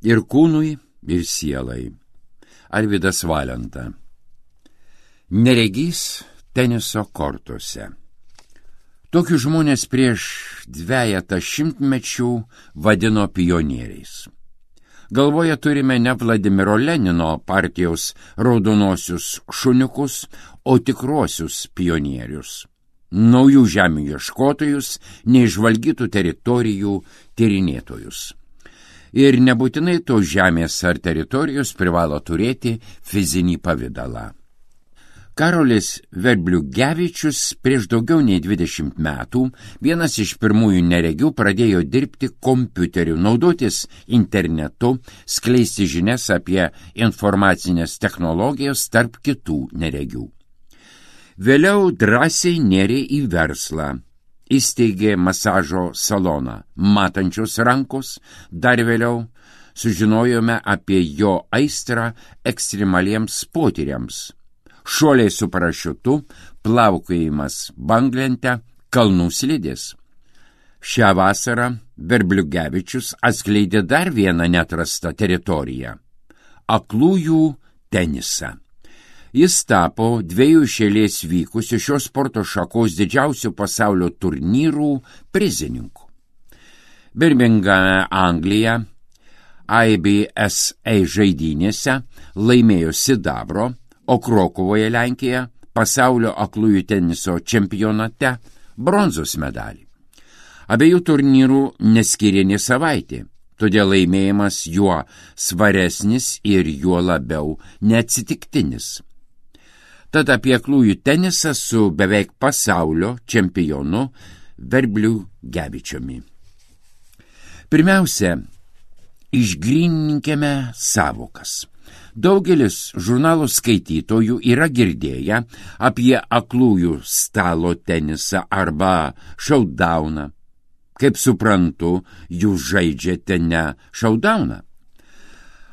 ir kūnui, ir sielai. Arvydas Valenta. Neregys teniso kortuose. Tokius žmonės prieš 2 šimtmečių vadino pionieriais. Galvoje turime ne Vladimiro Lenino partijos raudonosius šuniukus, o tikruosius pionierius. Naujų žemių ieškotojus, neižvalgytų teritorijų tyrinėtojus. Ir nebūtinai tos žemės ar teritorijos privalo turėti fizinį pavidalą. Karolis Verbliugevičius prieš daugiau nei 20 metų, vienas iš pirmųjų neregių, pradėjo dirbti kompiuteriu, naudotis internetu, skleisti žinias apie informacinės technologijas tarp kitų neregių. Vėliau drąsiai nėrė į verslą. Įsteigė masažo saloną Matančios rankos. Dar vėliau sužinojome apie jo aistrą ekstremaliems potyriams. Šuoliai su parašiutu, plaukiojimas banglente, kalnų slidės. Šią vasarą Verbliugevičius atskleidė dar vieną neatrastą teritoriją – aklųjų tenisą. Jis tapo 2 iš eilės vykusių šios sporto šakos didžiausių pasaulio turnyrų prizininku. Birmingame, Anglija, IBSA žaidynėse laimėjo sidabro, o Krokuvoje, Lenkija, pasaulio aklųjų teniso čempionate bronzos medalį. Abiejų turnyrų neskyrė nė savaitė, todėl laimėjimas juo svaresnis ir juo labiau neatsitiktinis. Tad apie aklųjų tenisą su beveik pasaulio čempionu Verbliugevičiumi. Pirmiausia, išgrynininkime savokas. Daugelis žurnalų skaitytojų yra girdėję apie aklųjų stalo tenisą arba šaudauną. Kaip suprantu, jūs žaidžiate ne šaudauną.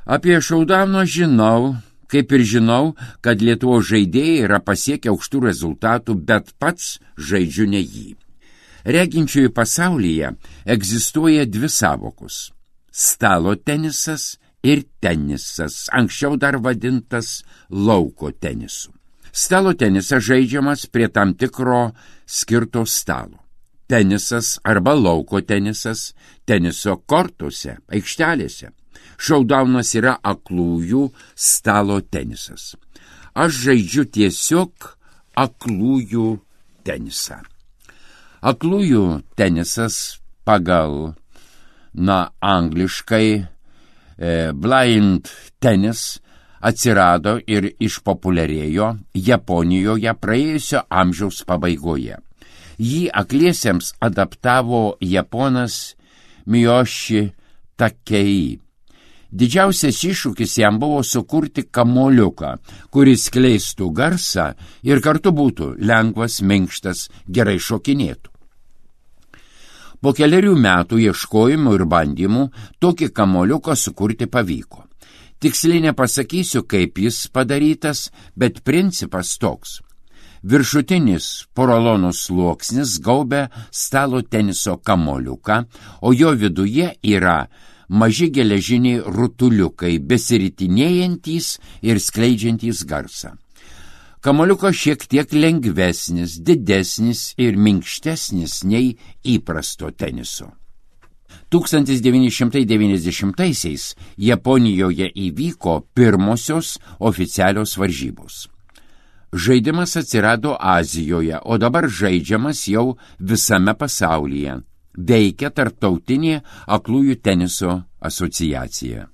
Apie šaudauną žinau, kaip ir žinau, kad Lietuvos žaidėjai yra pasiekę aukštų rezultatų, bet pats žaidžiu ne jį. Reginčiųjų pasaulyje egzistuoja 2 savokos – stalo tenisas ir tenisas, anksčiau dar vadintas lauko tenisu. Stalo tenisas žaidžiamas prie tam tikro skirto stalo. Tenisas arba lauko tenisas teniso kortuose, aikštelėse. Šaudaunas yra aklųjų stalo tenisas. Aš žaidžiu tiesiog aklųjų tenisą. Aklųjų tenisas pagal, angliškai blind tennis atsirado ir išpopuliarėjo Japonijoje praėjusio amžiaus pabaigoje. Jį akliesiems adaptavo japonas Miyoshi Takei. Didžiausias iššūkis jam buvo sukurti kamuoliuką, kuris skleistų garsą ir kartu būtų lengvas, minkštas, gerai šokinėtų. Po 4 metų ieškojimų ir bandymų tokį kamuoliuką sukurti pavyko. Tiksliai nepasakysiu, kaip jis padarytas, bet principas toks. Viršutinis porolono sluoksnis gaubia stalo teniso kamuoliuką, o jo viduje yra maži geležiniai rutuliukai, besiritinėjantys ir skleidžiantys garsą. Kamuoliukas šiek tiek lengvesnis, didesnis ir minkštesnis nei įprasto teniso. 1990-aisiais Japonijoje įvyko pirmosios oficialios varžybos. Žaidimas atsirado Azijoje, o dabar žaidžiamas jau visame pasaulyje. Veikia Tarptautinė aklųjų teniso asociacija.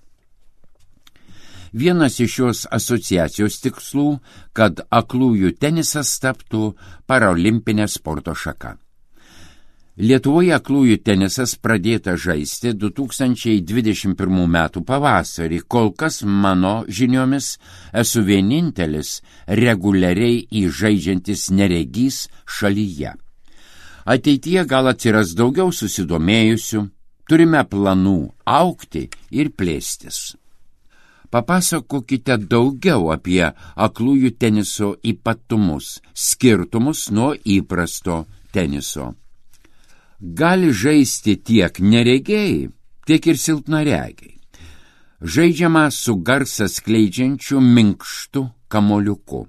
Vienas iš šios asociacijos tikslų, kad aklųjų tenisas taptų paralimpinė sporto šaka. Lietuvoje aklųjų tenisas pradėta žaisti 2021 metų pavasarį. Kol kas mano žiniomis esu vienintelis reguliariai įžaidžiantis neregys šalyje. Ateityje gal atsiras daugiau susidomėjusių, turime planų augti ir plėstis. Papasakokite daugiau apie aklųjų teniso ypatumus, skirtumus nuo įprasto teniso. Gali žaisti tiek neregėjai, tiek ir silpnaregiai. Žaidžiama su garsą skleidžiančiu minkštu kamuoliuku.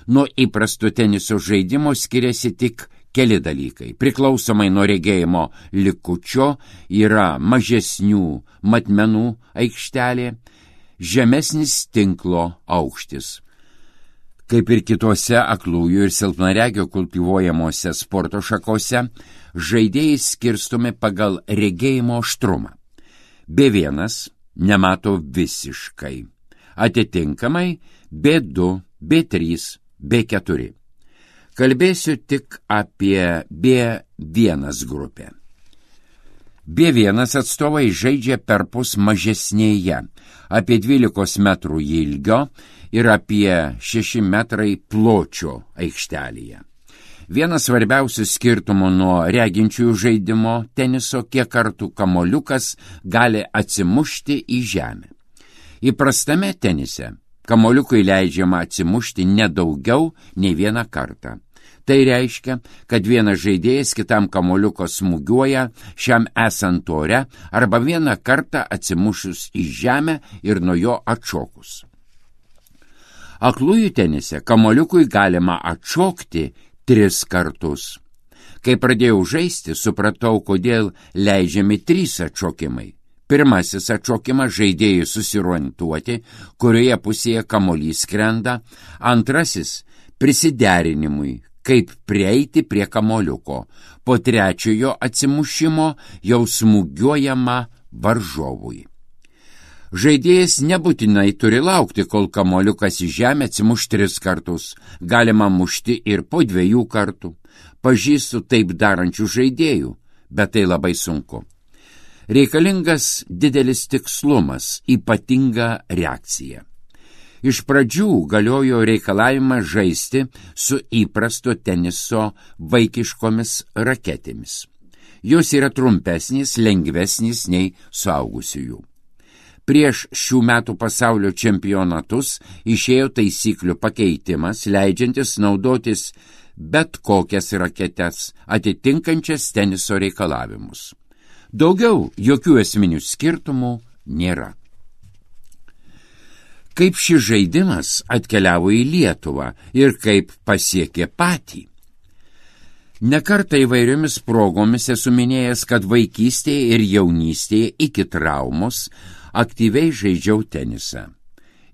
Nuo įprasto teniso žaidimo skiriasi tik keli dalykai. Priklausomai nuo regėjimo likučio yra mažesnių matmenų aikštelė, žemesnis tinklo aukštis. Kaip ir kitose aklųjų ir silpnaregio kultivuojamuose sporto šakose, žaidėjai skirstomi pagal regėjimo aštrumą. B1 nemato visiškai. Atitinkamai B2, B3, B4. Kalbėsiu tik apie B1 grupę. B1 atstovai žaidžia perpus mažesnėje, apie 12 metrų ilgio ir apie 6 metrai pločio aikštelėje. Vienas svarbiausių skirtumų nuo reginčiųjų žaidimo teniso, kiek kartų kamuoliukas gali atsimušti į žemę. Įprastame tenise kamuoliukui leidžiama atsimušti nedaugiau nei vieną kartą. Tai reiškia, kad vienas žaidėjas kitam kamuoliuko smūgiuoja šiam esant ore arba vieną kartą atsimušus į žemę ir nuo jo atšokus. Aklųjų tenise kamuoliukui galima atšokti 3 kartus. Kai pradėjau žaisti, supratau, kodėl leidžiami 3 atšokimai. Pirmasis atšokimas žaidėjui susiorientuoti, kurioje pusėje kamuolys skrenda. Antrasis prisiderinimui, kaip prieiti prie kamuoliuko. Po trečiojo atsimušimo jau smūgiuojama varžovui. Žaidėjas nebūtinai turi laukti, kol kamuoliukas į žemę atsimuš 3 kartus. Galima mušti ir po 2 kartų. Pažįstu taip darančių žaidėjų, bet tai labai sunku. Reikalingas didelis tikslumas, ypatinga reakcija. Iš pradžių galiojo reikalavimas žaisti su įprasto teniso vaikiškomis raketėmis. Jos yra trumpesnės, lengvesnės nei suaugusiųjų. Prieš šių metų pasaulio čempionatus išėjo taisyklių pakeitimas, leidžiantis naudotis bet kokias raketes, atitinkančias teniso reikalavimus. Daugiau jokių esminių skirtumų nėra. Kaip šis žaidimas atkeliavo į Lietuvą ir kaip pasiekė patį? Nekartą įvairiomis progomis esu minėjęs, kad vaikystėje ir jaunystėje iki traumos aktyviai žaidžiau tenisą.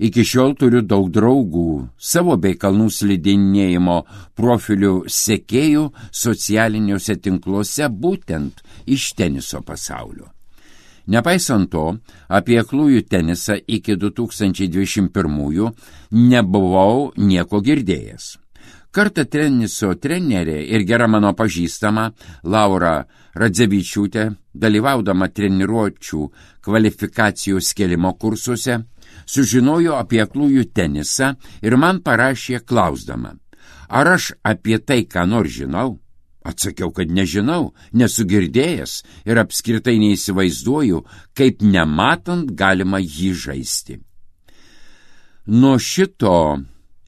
Iki šiol turiu daug draugų, savo bei kalnų slidinėjimo profilių sekėjų socialiniuose tinkluose būtent iš teniso pasaulio. Nepaisant to, apie aklųjų tenisą iki 2021 nebuvau nieko girdėjęs. Kartą teniso trenerė ir gera mano pažįstama Laura Radzevičiūtė, dalyvaudama treniruočių kvalifikacijos kėlimo kursuose, sužinojo apie aklųjų tenisą ir man parašė klausdama, ar aš apie tai ką nors žinau. Atsakiau, kad nežinau, nesu girdėjęs ir apskritai neįsivaizduoju, kaip nematant galima jį žaisti. Nuo šito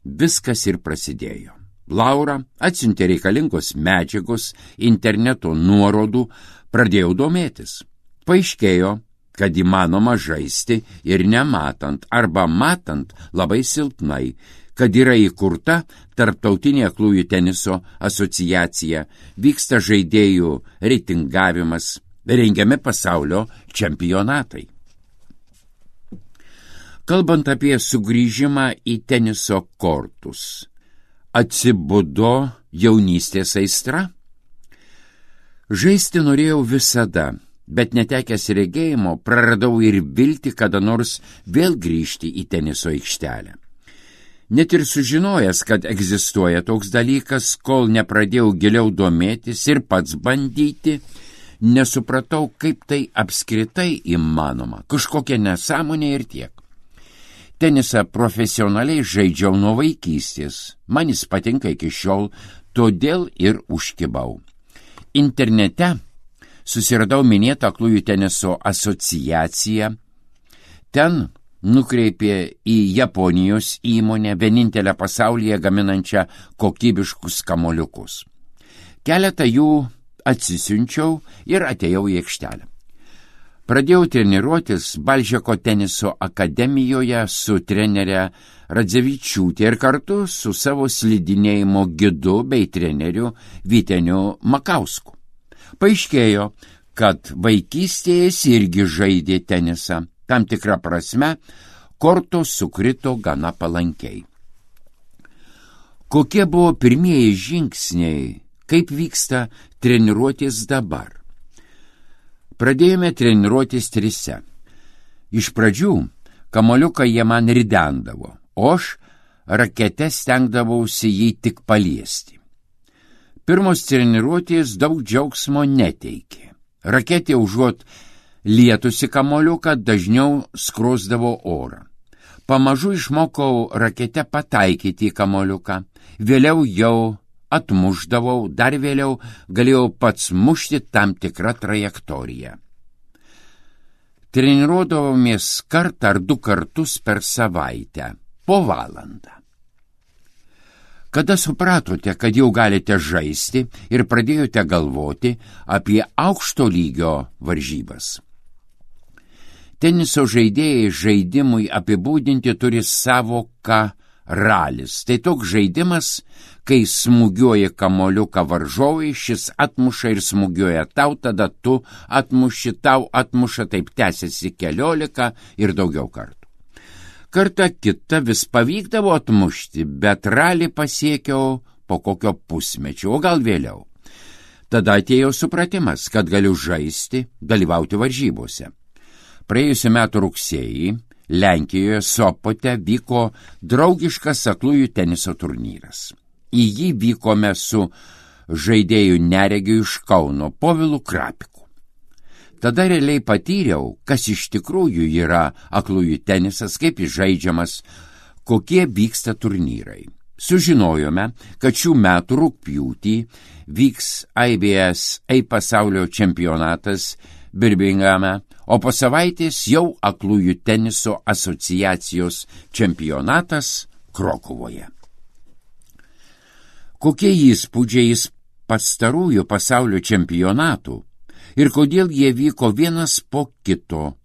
viskas ir prasidėjo. Laura atsiuntė reikalingos medžiagos, interneto nuorodų, pradėjau domėtis. Paaiškėjo, kad įmanoma žaisti ir nematant arba matant labai silpnai, kad yra įkurta Tarptautinė aklųjų teniso asociacija, vyksta žaidėjų reitingavimas, rengiami pasaulio čempionatai. Kalbant apie sugrįžimą į teniso kortus, atsibudo jaunystės aistra? Žaisti norėjau visada, bet netekęs regėjimo praradau ir viltį kada nors vėl grįžti į teniso aikštelę. Net ir sužinojęs, kad egzistuoja toks dalykas, kol nepradėjau giliau domėtis ir pats bandyti, nesupratau, kaip tai apskritai įmanoma, kažkokia nesąmonė ir tiek. Tenisą profesionaliai žaidžiau nuo vaikystės, man jis patinka iki šiol, todėl ir užkibau. Internete susiradau minėtą aklųjų teniso asociaciją, ten nukreipė į Japonijos įmonę, vienintelę pasaulyje gaminančią kokybiškus kamuoliukus. Keletą jų atsisiunčiau ir atėjau į aikštelę. Pradėjau treniruotis Balžeko teniso akademijoje su trenere Radzevičiūtė ir kartu su savo slidinėjimo gidu bei treneriu Vyteniu Makausku. Paaiškėjo, kad vaikystėje jis irgi žaidė tenisą. Tam tikrą prasme, kortos sukrito gana palankiai. Kokie buvo pirmieji žingsniai, kaip vyksta treniruotis dabar? Pradėjome treniruotis trise. Iš pradžių kamuoliuką jie man ridendavo, o aš rakete stengdavausi jį tik paliesti. Pirmos treniruotės daug džiaugsmo neteikė. Raketė užuot lietusi kamuoliuką dažniau skrosdavo orą. Pamažu išmokau rakete pataikyti į kamuoliuką, vėliau jau atmušdavau, dar vėliau galėjau pats mušti tam tikrą trajektoriją. Treniruodavomės kartą ar 2 kartus per savaitę, po valandą. Kada supratote, kad jau galite žaisti ir pradėjote galvoti apie aukšto lygio varžybas? Teniso žaidėjai žaidimui apibūdinti turi savoką ralis. Tai toks žaidimas, kai smūgiuoja kamuoliuką varžovui, šis atmuša ir smūgiuoja tau, tada tu atmuši, tau atmuša, taip tęsiasi 14 ir daugiau kartų. Kartą kitą vis pavykdavo atmušti, bet ralį pasiekiau po kokio pusmečio, o gal vėliau. Tada atėjo supratimas, kad galiu žaisti, dalyvauti varžybose. Praėjusiu metu rugsėjį Lenkijoje Sopote vyko draugiškas aklųjų teniso turnyras. Į jį vykome su žaidėjų neregiu iš Kauno Povilu Krapiku. Tada realiai patyriau, kas iš tikrųjų yra aklųjų tenisas, kaip jis žaidžiamas, kokie vyksta turnyrai. Sužinojome, kad šių metų rugpjūtį vyks IBSA pasaulio čempionatas Birmingame, o po savaitės jau aklųjų teniso asociacijos čempionatas Krokuvoje. Kokie įspūdžiai iš pastarųjų pasaulio čempionatų ir kodėl jie vyko vienas po kito?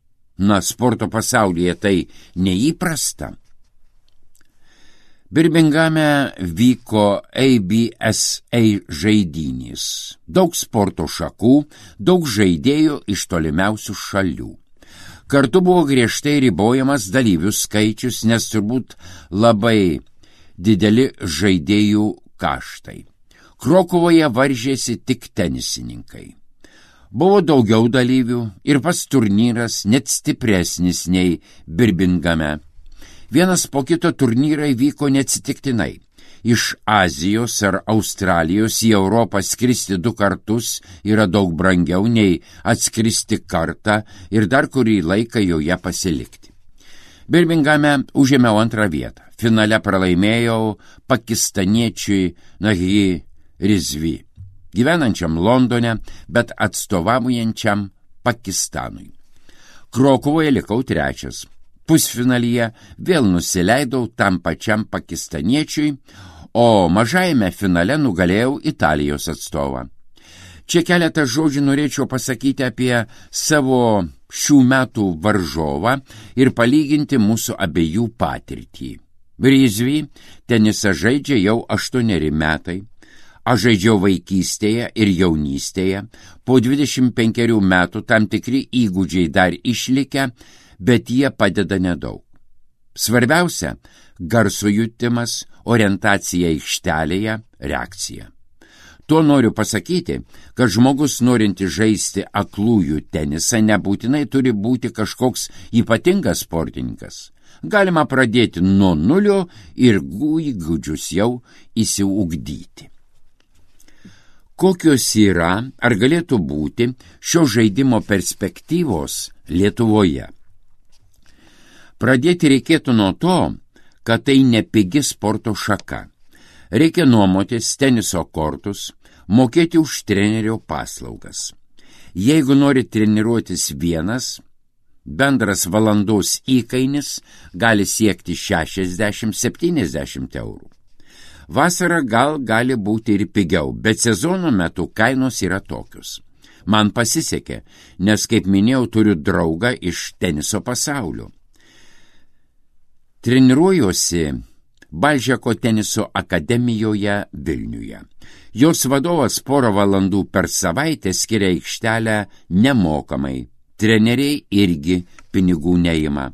Na, sporto pasaulyje tai neįprasta. Birmingame vyko ABSA žaidynės. Daug sporto šakų, daug žaidėjų iš tolimiausių šalių. Kartu buvo griežtai ribojamas dalyvių skaičius, nes turbūt labai dideli žaidėjų kaštai. Krokuvoje varžėsi tik tenisininkai. Buvo daugiau dalyvių ir pats turnyras net stipresnis nei Birmingame. Vienas po kito turnyrai vyko neatsitiktinai. Iš Azijos ar Australijos į Europą skristi 2 kartus yra daug brangiau nei atskristi kartą ir dar kurį laiką joje pasilikti. Birmingame užėmiau 2 vietą. Finale pralaimėjau pakistaniečiui Nahi Rizvi, gyvenančiam Londone, bet atstovaujančiam Pakistanui. Krokuvoje likau 3. Pusfinalyje vėl nusileidau tam pačiam pakistaniečiui, o mažajame finale nugalėjau Italijos atstovą. Čia keletą žodžių norėčiau pasakyti apie savo šių metų varžovą ir palyginti mūsų abiejų patirtį. Rizvi tenisą žaidžia jau 8 metai. Aš žaidžiau vaikystėje ir jaunystėje. Po 25 metų tam tikri įgūdžiai dar išlikę, bet jie padeda nedaug. Svarbiausia – garso jutimas, orientacija aikštelėje, reakcija. Tuo noriu pasakyti, kad žmogus norinti žaisti aklųjų tenisą nebūtinai turi būti kažkoks ypatingas sportininkas. Galima pradėti nuo 0 ir įgūdžius jau įsiugdyti. Kokios yra ar galėtų būti šio žaidimo perspektyvos Lietuvoje? Pradėti reikėtų nuo to, kad tai nepigi sporto šaka. Reikia nuomotis teniso kortus, mokėti už trenerio paslaugas. Jeigu nori treniruotis vienas, bendras valandos įkainis gali siekti 60–70 eurų. Vasarą gali būti ir pigiau, bet sezono metu kainos yra tokios. Man pasisekė, nes, kaip minėjau, turiu draugą iš teniso pasaulio. Treniruojuosi Balžeko teniso akademijoje Vilniuje. Jos vadovas porą valandų per savaitę skiria aikštelę nemokamai. Treneriai irgi pinigų neima.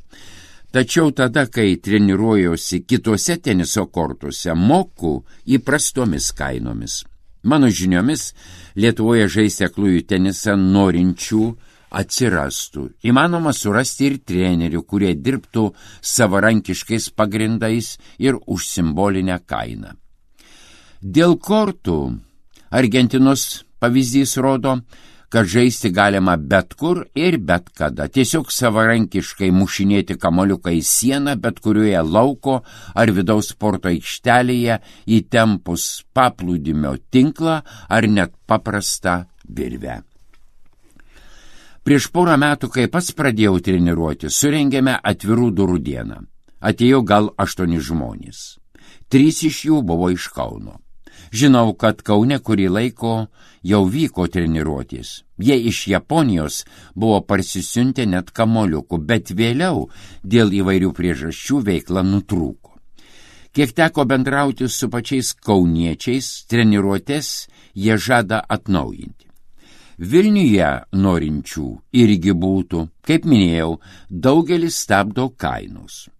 Tačiau tada, kai treniruojuosi kitose teniso kortuose, moku įprastomis kainomis. Mano žiniomis, Lietuvoje žaisti aklųjų tenisą norinčių atsirastų. Įmanoma surasti ir trenerių, kurie dirbtų savarankiškais pagrindais ir už simbolinę kainą. Dėl kortų Argentinos pavyzdys rodo, kad žaisti galima bet kur ir bet kada. Tiesiog savarankiškai mušinėti kamuoliuką į sieną bet kurioje lauko ar vidaus sporto aikštelėje įtempus paplūdimio tinklą ar net paprastą virvę. Prieš porą metų, kai pats pradėjau treniruoti, surengėme atvirų durų dieną. Atėjo gal 8 žmonės. 3 iš jų buvo iš Kauno. Žinau, kad Kaune kurį laiko jau vyko treniruotis. Jie iš Japonijos buvo parsisiuntę net kamuoliukų, bet vėliau dėl įvairių priežasčių veikla nutrūko. Kiek teko bendrauti su pačiais kauniečiais, treniruotės jie žada atnaujinti. Vilniuje norinčių irgi būtų, kaip minėjau, daugelis stabdo kainos.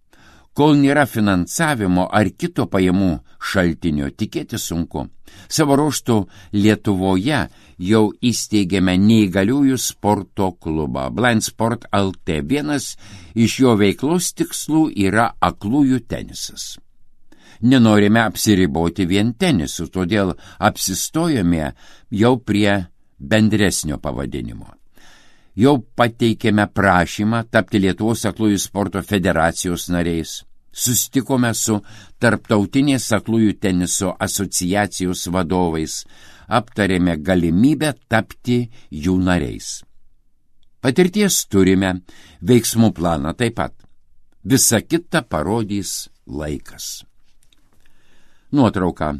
Kol nėra finansavimo ar kito pajamų šaltinio, tikėti sunku. Savo ruožtu Lietuvoje jau įsteigėme neįgaliųjų sporto klubą Blind Sport LT. Vienas iš jo veiklos tikslų yra aklųjų tenisas. Nenorime apsiriboti vien tenisu, todėl apsistojome jau prie bendresnio pavadinimo. Jau pateikėme prašymą tapti Lietuvos aklųjų sporto federacijos nariais. Sustikome su Tarptautinės aklųjų teniso asociacijos vadovais, aptarėme galimybę tapti jų nariais. Patirties turime, veiksmų planą taip pat. Visa kita parodys laikas. Nuotrauka.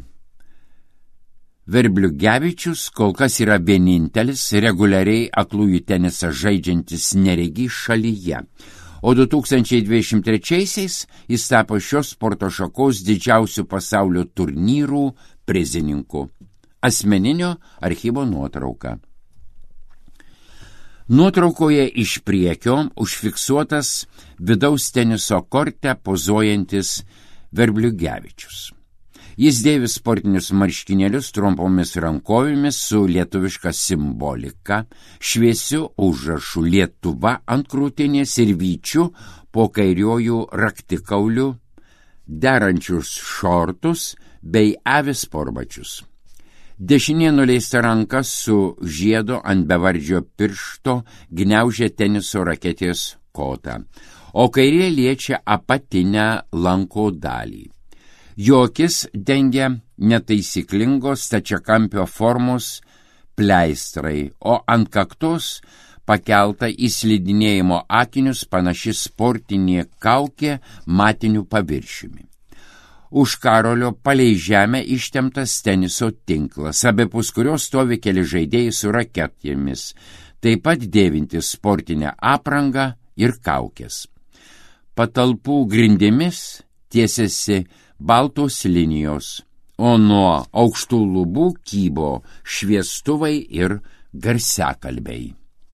Verbliugevičius kol kas yra vienintelis reguliariai aklųjų tenisą žaidžiantis neregys šalyje, o 2023-aisiais jis tapo šios sporto šakos didžiausių pasaulio turnyrų prizininku. Asmeninio archyvo nuotrauka. Nuotraukoje iš priekio užfiksuotas vidaus teniso korte pozuojantis Verbliugevičius. Jis dėvi sportinius marškinėlius trumpomis rankovėmis su lietuviška simbolika, šviesiu užrašu Lietuva ant krūtinės ir vyčiu po kairiojų raktikauliu, derančius šortus bei avis sportbačius. Dešinė nuleista ranka su žiedo ant bevardžio piršto gniaužia teniso raketės kotą, o kairė liečia apatinę lanko dalį. Jo akis dengia netaisyklingos stačiakampio formos pleistrai, o ant kaktos pakelta į slidinėjimo akinius panaši sportinė kaukė matiniu paviršiumi. Už karolio palei žemę ištemptas teniso tinklas, abipus kurios stovi keli žaidėjai su raketėmis, taip pat dėvintis sportinę aprangą ir kaukės. Patalpų grindimis tiesiasi baltos linijos, o nuo aukštų lubų kybo šviestuvai ir garsiakalbiai.